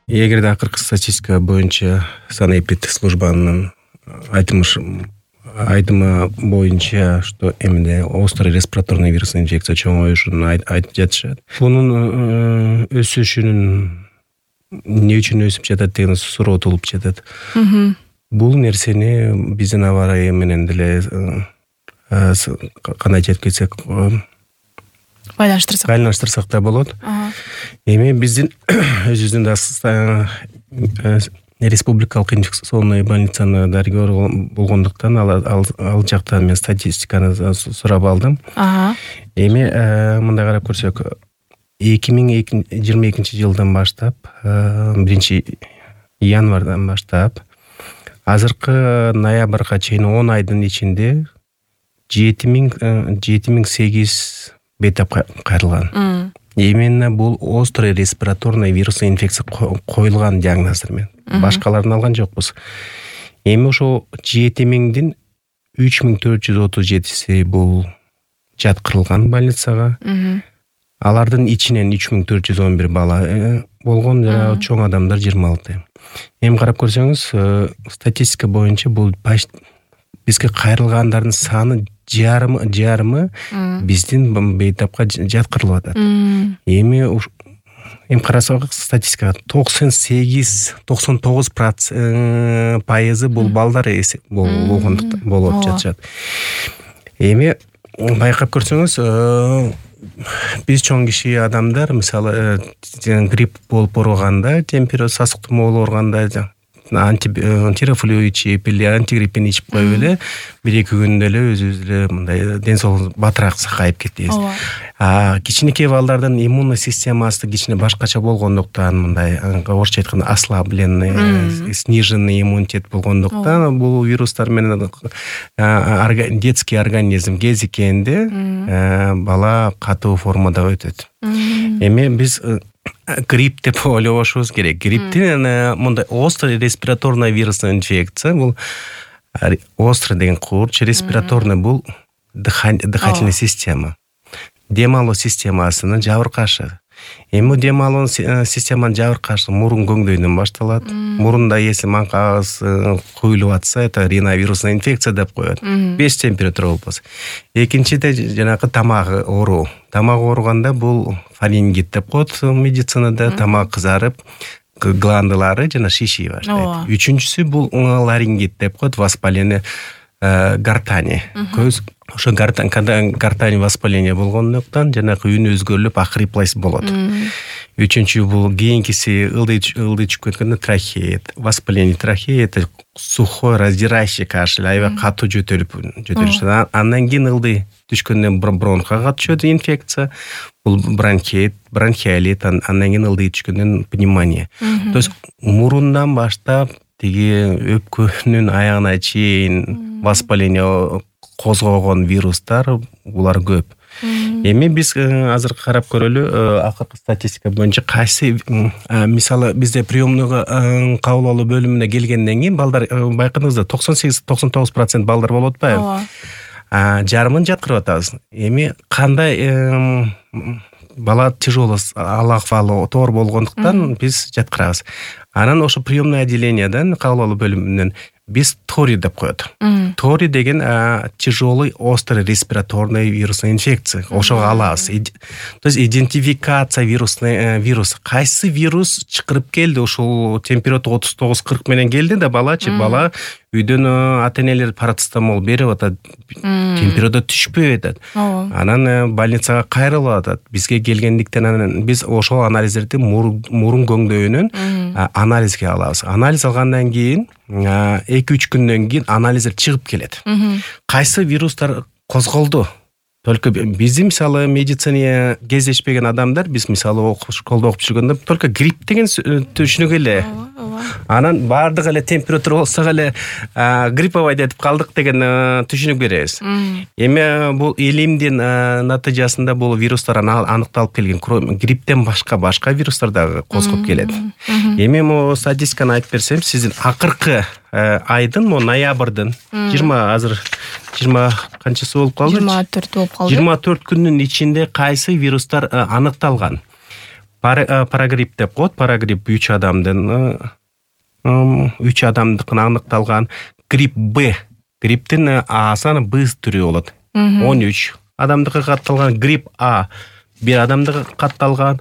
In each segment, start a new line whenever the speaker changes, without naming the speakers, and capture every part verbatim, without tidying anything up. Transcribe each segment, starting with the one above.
Эгерде акыркы статистика боюнча санэпиддик службанын айтымыш айтымы боюнча, что эмне острый респираторный вирусный инфекция чоңоюшун айтып жатышат. Бунун өсүшүнүн эмне үчүн өсүп жатат деген суроо туулуп жатат. Бул нерсени биздин аба ырайы менен деле кандай айтып кетсек,
байланыштырсак
байланыштырсак да болот. Эми биздин өзүбүздүн да республикалык инфекционный больницаны дарыгер болгондуктан ал жактан мен статистиканы сурап алдым. Эми мындай карап көрсөк, эки миң жыйырма экинчи жылдан баштап, биринчи январдан баштап азыркы ноябрга чейин он айдын ичинде жети миң сегиз бейтап кайрылган. Именно бул острый респираторный вирусный инфекция коюлган диагноздор менен. Башкаларын алган жокпуз. Эми ошо жети миңдин үч миң төрт жүз отуз жетиси бул жаткырылган больницага. Алардын ичинен үч миң төрт жүз он бир бала болгон, жана чоң адамдар жыйырма алты. Эми карап көрсөңүз, статистика боюнча бул бизге кайрылгандардын саны жарымы жарымы биздин бейтапка жаткырылып атат. Эми эми карасак статистикага токсон сегиз токсон тогуз пайызы бул балдар болгондуктан болуп жатышат. Эми байкап көрсөңүз, биз чоң киши адамдар, мисалы, грипп болуп ооруганда, температура сасык тумоо болуп ооруганда антитирофлю ичип или антигриппин ичип коюп эле бир эки күндө эле өзүбүз эле мындай ден соолугубуз батыраак сакайып кетебиз. А кичинекей балдардын иммунный системасы кичине башкача болгондуктан, мындай орусча айтканда ослабленный, сниженный иммунитет болгондуктан бул вирустар менен детский организм кезиккенде бала катуу формада өтөт. Эми биз грипп деп ойлобошубуз керек. Грипптин мындай острый респираторный вирусный инфекция, бул острый деген курч, респираторный бул дыхательная система. Дем алуу системасынын жабыркашы. Эми дем алуу системанын жабыркашы мурун көңдөйдөн башталат. Мурунда если маңкагыз куюлуп атса, это риновирусная инфекция деп коет. Беш температура болбосо. Экинчиде жанагы тамак ооруу. Тамак ооруганда бул фарингит деп коет медицинада, тамак кызарып, гландылары жана шиший баштайт. Үчүнчүсү бул ларингит деп коет, воспаление гортани. Көз ошо гортань, когда гортань воспаление болгондуктан жанагы үн өзгөрүлүп ахриплость болот. Үчүнчү бул кийинкиси ылдый ылдый чыгып кеткенде трахея, воспаление трахеи, это сухой раздирающий кашель, аябай катуу жөтөлүп жөтөлүшөт. Андан кийин ылдый түшкөндөн бронхага түшөт инфекция, бул бронхит, бронхиолит, андан кийин ылдый түшкөндөн пневмония. То есть мурундан баштап тиги өпкөнүн аягына чейин воспаление козгогон вирустар булар көп. Эми биз азыр карап көрөлү, акыркы статистика боюнча кайсы, мисалы, бизде приемныйга кабыл алуу бөлүмүнө келгенден кийин балдар, байкадыңыздар, токсон сегиз токсон тогуз процент балдар болуп атпайбы? Жарымын жаткырып атабыз. Эми кандай бала тяжело алаквалы тоор болгондуктан биз жаткырабыз. Анан ошо приемный отделенияден, кабыл алуу бөлүмүнөн биз тори деп коет. Тори деген тяжелый острый респираторный вирусный инфекция. Ошого алабыз. То есть идентификация вирусный вирус. Кайсы вирус чакырып келди, ошол температура отуз тогуз кырк менен келди да балачы, бала үйдөн ата-энелер парацетамол берип атат, температура түшпөй атат. Анан больницага кайрылып атат. Бизге келгендиктен анан биз ошол анализдерди мурун көңдөйүнөн анализге алабыз. Анализ алгандан кийин эки үч күндөн кийин анализдер чыгып келет. Кайсы вирустар козголду? Только биздин мисалы медицина кездешпеген адамдар, биз мисалы школда окуп жүргөндө только грипп деген түшүнүк эле. Анан бардыгы эле температура болсо эле грипповый деп калдык деген түшүнүк беребиз. Эми бул илимдин натыйжасында бул вирустар аныкталып келген. Грипптен башка башка вирустар дагы козгоп келет. Эми могу статистиканы айтып берсем, сиздин акыркы айдын, мо ноябрдын жыйырма азыр жыйырма канчасы болуп калды?
жыйырма төрт болуп калды.
жыйырма төрт күндүн ичинде кайсы вирустар аныкталган? парагрипп деп коет. Парагрипп үч адамдын үч адамдыкын аныкталган. Грипп Б. Грипптин А саны Б түрү болот. он үч адамдыкы катталган. Грипп А бир адамдыкы катталган.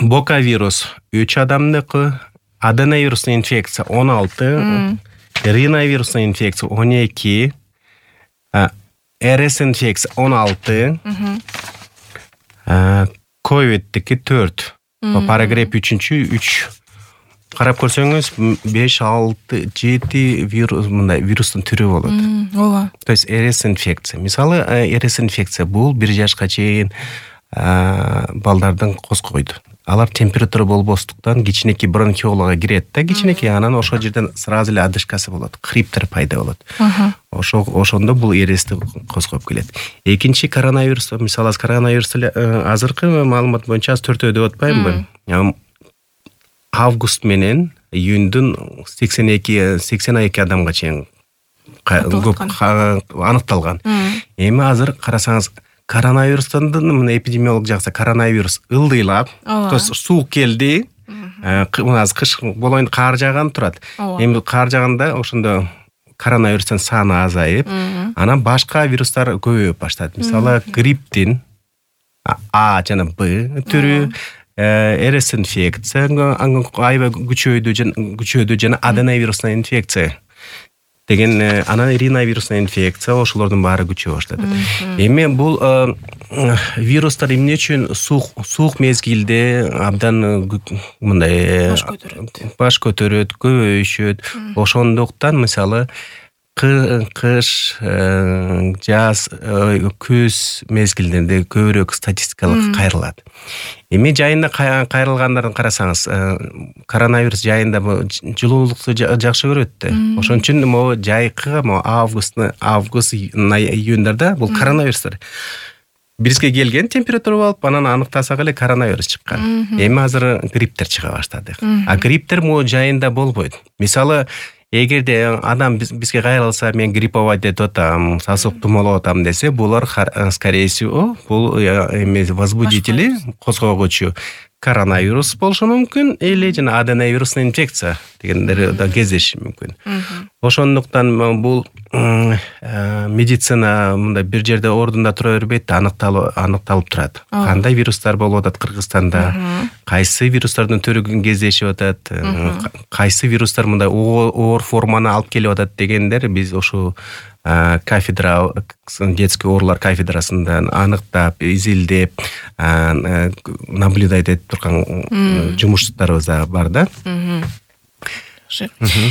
Бокавирус үч адамдыкы. Аденовирусный инфекция он алты. Риновирусный инфекция он эки. РС инфекция он алты. Ковиддики төрт. Парагрипп үчүнчү үч. Карап көрсөңүз беш алты жети вирус мындай вирустун түрү болот.
Ооба.
То есть РС инфекция. Мисалы РС инфекция бул бир жашка чейин балдардын козгойду. Алар температура болбостуктан кичинекей бронхиолага кирет да, кичинекей анан ошол жерден сразу эле одышкасы болот, хриптер пайда болот. Ошо ошондо бул эрести козгоп келет. Экинчи коронавирус, мисалы коронавирус азыркы маалымат боюнча аз төртөө деп атпаймынбы? Август менен июндун сексен эки сексен эки адамга чейин аныкталган. Эми азыр карасаңыз коронавирустун мына эпидемиолог жакса коронавирус ылдыйлап, то есть суук келди, мына кыш болоюн кар жааган турат. Эми кар жааганда ошондо коронавирустун саны азайып, анан башка вирустар көбөйүп баштады. Мисалы грипптин А жана Б түрү, РС инфекция аябай күчөйдү, күчөйдү жана аденовирусный инфекция деген, анан риновирусный инфекция, ошолордун баары күчөй баштады. Эми бул вирустар эмне үчүн суук суук мезгилде абдан мындай баш көтөрөт, баш көтөрөт, көбөйүшөт. Ошондуктан мисалы кыш, жаз, күз мезгилдеринде көбүрөөк статистикалык кайрылат. Эми жайында кайрылгандарын карасаңыз, коронавирус жайында жылуулукту жакшы көрөт да. Ошон үчүн могу жайкы август, август, июндарда бул коронавирустар бизге келген, температура болуп, анан аныктасак эле коронавирус чыккан. Эми азыр грипптер чыга баштады. А грипптер могу жайында болбойт. Мисалы эгерде адам бизге кайрылса, мен грипповать этип атам, сасык тумалап атам десе, булар скорее всего бул эми возбудители, козгогучу коронавирус болушу мүмкүн, или жана аденовирусный инфекция дегендер да кездеши мүмкүн. Ошондуктан бул медицина мындай бир жерде ордунда тура бербейт, аныкталып аныкталып турат. Кандай вирустар болуп атат Кыргызстанда, кайсы вирустардын түрү кездешип атат, кайсы вирустар мындай оор форманы алып келип атат дегендер биз ошо кафедра, детский оорулар кафедрасында аныктап, изилдеп, наблюдать этип турган жумуштарыбыз бар да.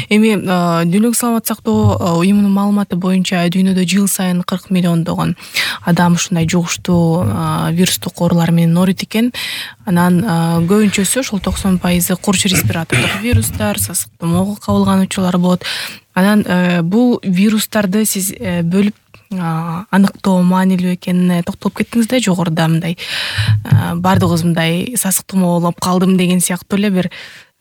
Эми Дүйнөлүк саламаттык сактоо уюмунун маалыматы боюнча дүйнөдө жыл сайын кырк миллиондогон адам ушундай жугуштуу вирустук оорулар менен ооруйт экен. Анан көбүнчөсү ошол токсон пайызы курч респиратордук вирустар, сасык тумоого кабылган учурлар болот. Анан бул вирустарды сиз бөлүп аныктоо маанилүү экенине токтолуп кеттиңиз да, жогоруда мындай баардыгыбыз мындай сасык тумоо болуп калдым деген сыяктуу эле бир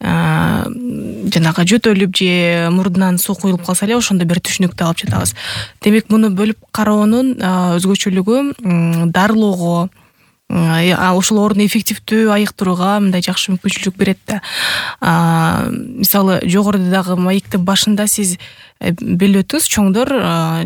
жанагы жөтөлүп же мурдунан суу куюлуп калса эле ошондо бир түшүнүктү алып жатабыз. Демек муну бөлүп кароонун өзгөчөлүгү дарылоого, ошол ооруну эффективдүү айыктырууга мындай жакшы мүмкүнчүлүк берет да. Мисалы жогоруда дагы маектин башында сиз белип өттүңүз, чоңдор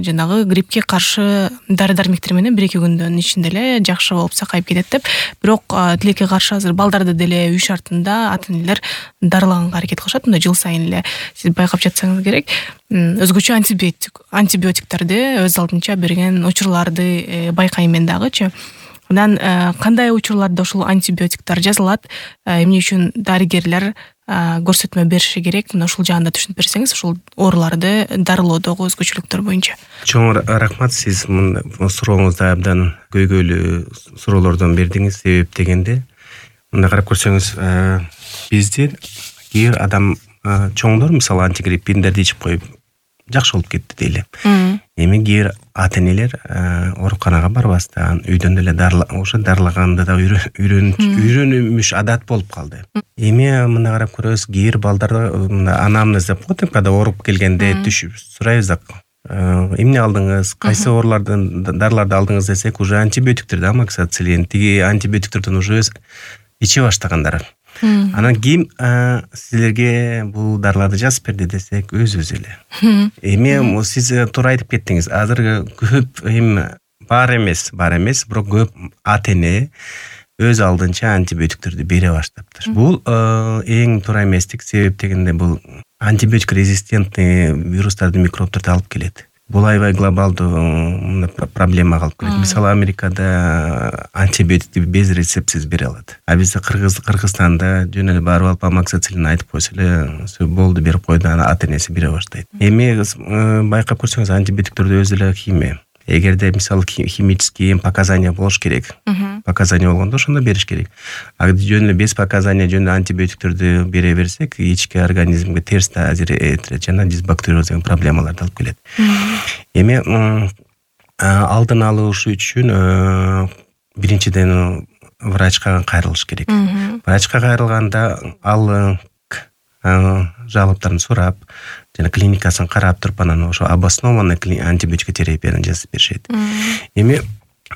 жанагы гриппке каршы дары дармектер менен бир эки күндөн ичинде эле жакшы болуп сакайып кетет деп. Бирок тилекке каршы азыр балдарды деле үй шартында ата-энелер дарылаганга аракет кылышат. Мында жыл сайын эле сиз байкап жатсаңыз керек, өзгөчө антибиотик антибиотиктерди өз алдынча берген учурларды байкайм мен дагычы. Анан кандай учурларда ошол антибиотиктер жазылат, эмне үчүн дарыгерлер көрсөтмө бериши керек, мына ушул жаанда түшүнүп берсеңиз, ушул ооруларды дарылоодогу өзгөчөлүктөр боюнча.
Чоң рахмат, сиз сурооңузда абдан көйгөйлүү суроолордон бердиңиз. Себеп дегенде, мына карап көрсөңүз, бизде кээ бир адам чоңдор мисалы антигриппиндерди ичип коюп жакшы болуп кетти дейли. Эми кээ бир ата-энелер ооруканага барбастан үйдөн эле ошо дарылаганды да үйрөнүмүш адат болуп калды. Эми мына карап көрөбүз, кээ бир балдар мына анамнез деп коет, когда ооруп келгенде түшүп сурайбыз да, эмне алдыңыз, кайсы оорулардан дарыларды алдыңыз десек, уже антибиотиктерди, амоксициллин, тиги антибиотиктерден уже иче баштагандар. Анан кийин силерге бул дарыларды жазып берди десек, өзүбүз эле. Эми сиз туура айтып кеттиңиз. Азыр көп эми бар эмес, бар эмес, бирок көп ата эне өз алдынча антибиотиктерди бере баштаптыр. Бул эң туура эместик, себеп дегенде бул антибиотик резистентный вирустарды, микробдорду алып келет. Бул аябай глобалдуу проблема калып келет. Мисалы, Америкада антибиотикти без рецептсиз бере алат. А бизде Кыргыз Кыргызстанда жөн эле барып алып амоксициллин айтып койсо эле болду, берип койду, ана ата энеси бере баштайт. Эми байкап көрсөңүз, антибиотиктерде өзү эле химия. Эгерде мисалы химический показания болуш керек. Показания болгондо ошондо бериш керек. А жөн эле без показания жөн эле антибиотиктерди бере берсек, ички организмге терс таасир этет жана дисбактериоз деген проблемаларды алып келет. Эми алдын алыш үчүн биринчиден врачка кайрылыш керек. Врачка кайрылганда ал жалоптарын сурап, жана клиникасын карап туруп, анан ошо обоснованный антибиотик терапияны жазып беришет. Эми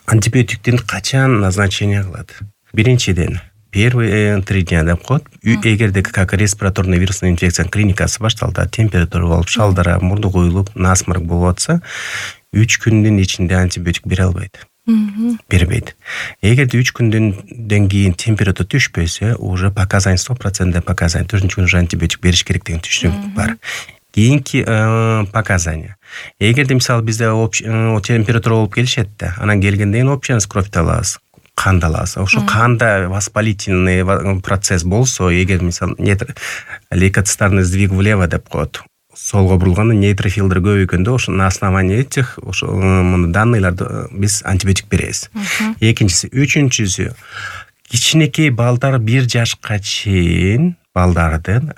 антибиотиктин качан назначение кылат? Биринчиден, первые три дня деп коет. Эгерде как респираторный вирусный инфекция клиникасы башталды, температура болуп, шалдыра, мурду куюлуп, насморк болуп атса, үч күндүн ичинде антибиотик бере албайт. Бербейт. Эгерде үч күндөн кийин температура түшпөсө, уже показания сто процентов показания, төртүнчү күнү уже антибиотик бериш керек деген түшүнүк бар. Кийинки показания. Эгерде мисалы бизде температура болуп келишет да, анан келгенден кийин общественный кровьду алабыз, канды алабыз. Ошо канда воспалительный процесс болсо, эгер мисалы лейкоцитарный сдвиг влево деп коет, солго бурулганда нейтрофилдер көбөйгөндө, ошо на основании этих ошо данныйларды биз антибиотик беребиз. Экинчиси, үчүнчүсү, кичинекей балдар бир жашка чейин балдардын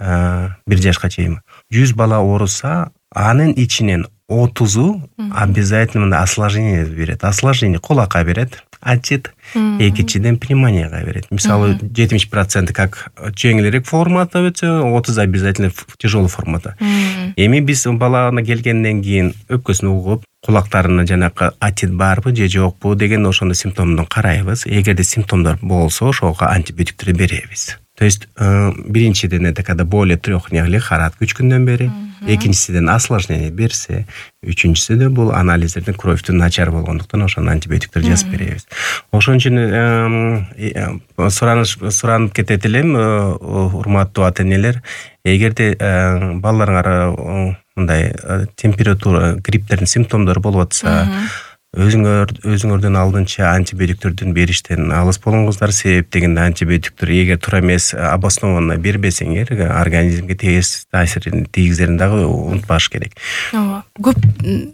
бир жашка чейин жүз бала ооруса, анын ичинен отузу обязательно осложнение берет. Осложнение кулакка берет, отит, экинчиден пневмонияга берет. Мисалы, жетимиш процент как жеңилирээк формата өтсө, отуз обязательно тяжелый формата. Эми биз баланы келгенден кийин өпкөсүн угуп, кулактарына жанакы отит барбы же жокпу деген ошондо симптомдон карайбыз. Эгерде симптомдор болсо, ошого антибиотиктерди беребиз. То есть биринчиден это когда более трех дней лихорадка үч күндөн бери, экинчисиден осложнение берсе, үчүнчүсүдө бул анализдердин кровьтун начар болгондуктан ошону антибиотиктер жазып беребиз. Ошон үчүн сураныш суранып кетет элем, урматтуу ата энелер, эгерде балдарыңар мындай температура, грипптердин симптомдору болуп атса, өзүңөр өзүңөрдөн алдынча антибиотиктердин бериштен алыс болуңуздар. Себеп дегенде антибиотиктер эгер туура эмес обоснованно бербесеңер, организмге терс таасирин тийгизерин дагы унутпаш керек.
Ооба. Көп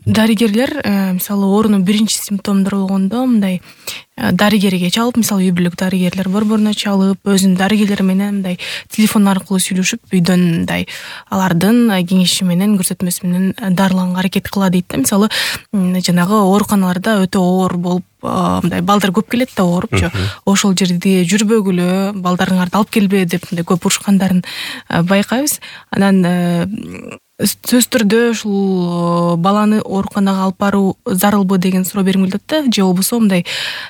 дарыгерлер мисалы оорунун биринчи симптомдору болгондо мындай дарыгерге чалып, мисалы үй бүлөк дарыгерлер борборуна чалып, өзүнүн дарыгерлери менен мындай телефон аркылуу сүйлөшүп, үйдөн мындай алардын кеңеши менен, көрсөтмөсү менен дарыланга аракет кыла дейт да. Мисалы, жанагы ооруканаларда өтө оор болуп, мындай балдар көп келет да оорупчу. Ошол жерде жүрбөгүлө, балдарыңарды алып келбе деп мындай көп урушкандарын байкайбыз. Анан сөз түрдө ушул баланы ооруканага алып баруу зарылбы деген суроо берилет да, же болбосо мындай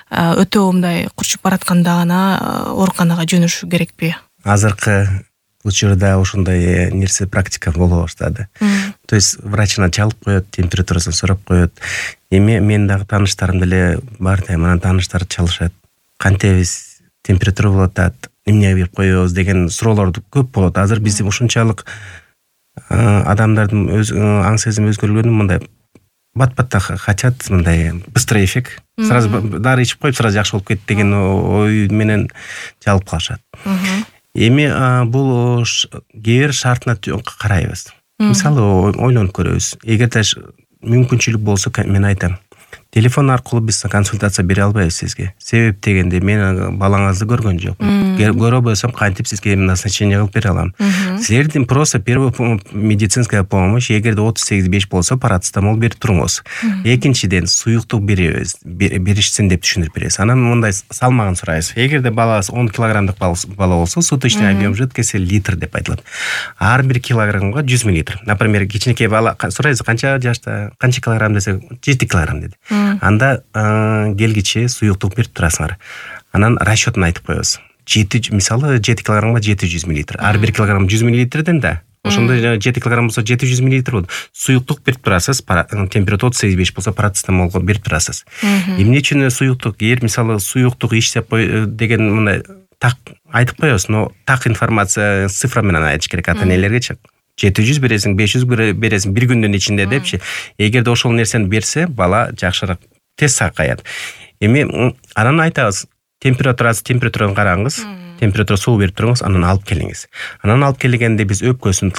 өтө мындай курчуп баратканда гана ооруканага жөнөшүү керекпи?
Азыркы учурда ошондой нерсе практика боло баштады. То есть врачына чалып коет, температурасын сурап коет. Эми мен дагы тааныштарым деле бар да, анан тааныштар чалышат. Кантебиз, температура болуп атат, эмне берип коебуз деген суроолор көп болот. Азыр биз ушунчалык адамдардын өз аң сезим өзгөргөнүн мындай бат-батта хотят, мындай быстрый эффект. Сразу дары ичип коюп, сразу жакшы болуп кетти деген ой менен чалып калышат. Эми бул кээ бир шартына карайбыз. Мисалы, ойлонуп көрөбүз. Эгерде мүмкүнчүлүк болсо, мен айтам, телефон аркылуу биз консультация бере албайбыз сизге. Себеп дегенде мен балаңызды көргөн жокмун. Көрө болсом кантип сизге назначение кылып бере алам. Силердин просто первая медицинская помощь, эгерде отуз сегиз беш болсо парацетамол берип туруңуз. Экинчиден суюктук беребиз, беришсин деп түшүндүрүп беребиз. Анан мындай салмагын сурайбыз. Эгерде баласы он килограммдык бала болсо, суточный объем жидкости литр деп айтылат. Ар бир килограммга жүз миллилитр. Например, кичинекей бала сурайбыз канча жашта, канча килограмм десе, жети килограмм деди. Анда келгиче суюктук берип турасыңар. Анан расчетун айтып коебуз. жети мисалы жети килограммга жети жүз миллилитр. Ар бир килограмм жүз миллилитрден да. Ошондо жети килограмм болсо жети жүз миллилитр болот. Суюктук берип турасыз. Температура отуз сегиз беш болсо парацетамол берип турасыз. Эмне үчүн суюктук? Эгер мисалы суюктук иштеп деген мындай так айтып коебуз, но так информация цифра менен айтыш керек ата-энелергечи. жети жүз бересиң, беш жүз бересиң бир күндүн ичинде депчи. Эгерде ошол нерсени берсе, бала жакшыраак тез сакаят. Эми анан айтабыз, температурасы температураны караңыз, температура суу берип туруңуз, анан алып келиңиз. Анан алып келгенде биз өпкөсүн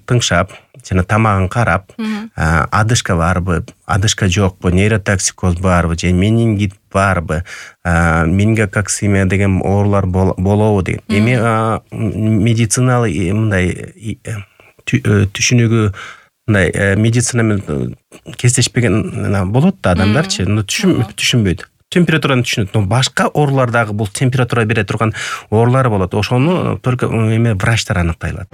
тыңшап, жана тамагын карап, адышка барбы, адышка жокпу, нейротоксикоз барбы, же менингит барбы, менингококсемия деген оорулар болобу деген. Эми медициналык мындай түшүнүгү мындай медицина менен кестешпеген болот да адамдарчы, но түшүнбөйт. Температураны түшүнөт, но башка оорулар дагы бул температура бере турган оорулар болот. Ошону только эме врачтар аныктай алат.